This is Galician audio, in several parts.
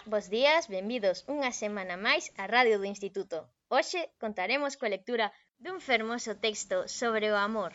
bos días, benvidos unha semana máis á Radio do Instituto. Hoxe contaremos coa lectura dun fermoso texto sobre o amor.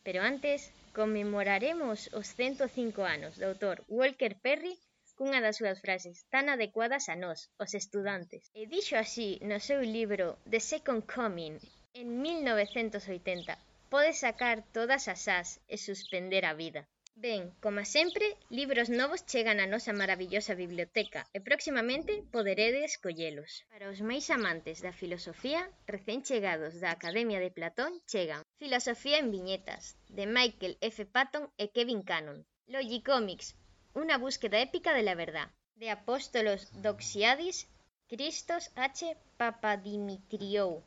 Pero antes, conmemoraremos os 105 anos do autor Walker Perry cunha das súas frases tan adecuadas a nós, os estudantes. E dixo así no seu libro The Second Coming, en 1980, pode sacar todas as ás e suspender a vida. Ben, como sempre, libros novos chegan á nosa maravillosa biblioteca e próximamente poderedes collelos. Para os máis amantes da filosofía, recén chegados da Academia de Platón chegan Filosofía en viñetas, de Michael F. Patton e Kevin Cannon. Logicomics, una búsqueda épica de la verdad, de Apóstolos Doxiadis, Christos H. Papadimitriou.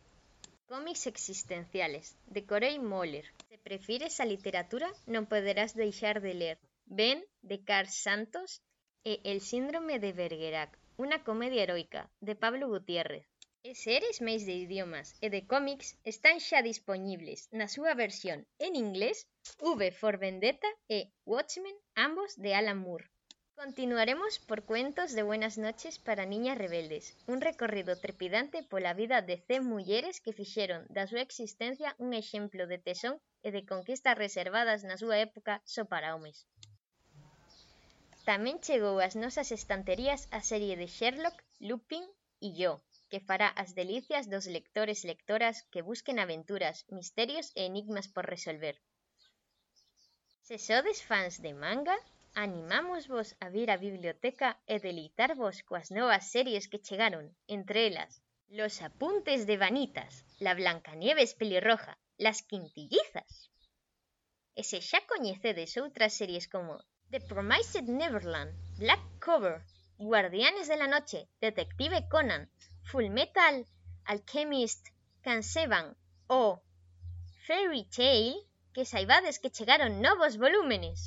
Cómics existenciales, de Corey Moller. Se prefires a literatura, non poderás deixar de ler Ben, de Carl Santos, e El síndrome de Bergerac, unha comedia heroica, de Pablo Gutiérrez. E se eres máis de idiomas e de cómics, están xa dispoñibles na súa versión en inglés V for Vendetta e Watchmen, ambos de Alan Moore. Continuaremos por Cuentos de Buenas Noches para Niñas Rebeldes, un recorrido trepidante pola vida de 100 mulleres que fixeron da súa existencia un exemplo de tesón e de conquistas reservadas na súa época só para homes. Tamén chegou ás nosas estanterías a serie de Sherlock, Lupin e Yo, que fará as delicias dos lectores e lectoras que busquen aventuras, misterios e enigmas por resolver. Se sodes fans de manga, animámosvos a vir á biblioteca e deleitarvos coas novas series que chegaron, entre elas Los apuntes de Vanitas, La Blancanieves pelirroja, Las Quintillizas. E se xa coñecedes outras series como The Promised Neverland, Black Cover, Guardianes de la Noche, Detective Conan, Fullmetal Alchemist Canseban ou Fairy Tail, que saibades que chegaron novos volúmenes.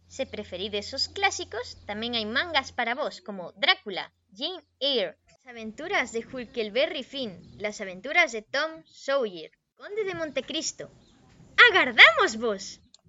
Se preferides os clásicos, tamén hai mangas para vos, como Drácula, Jane Eyre, Las aventuras de Huckleberry Finn, Las aventuras de Tom Sawyer, Conde de Montecristo. ¡Agardámosvos!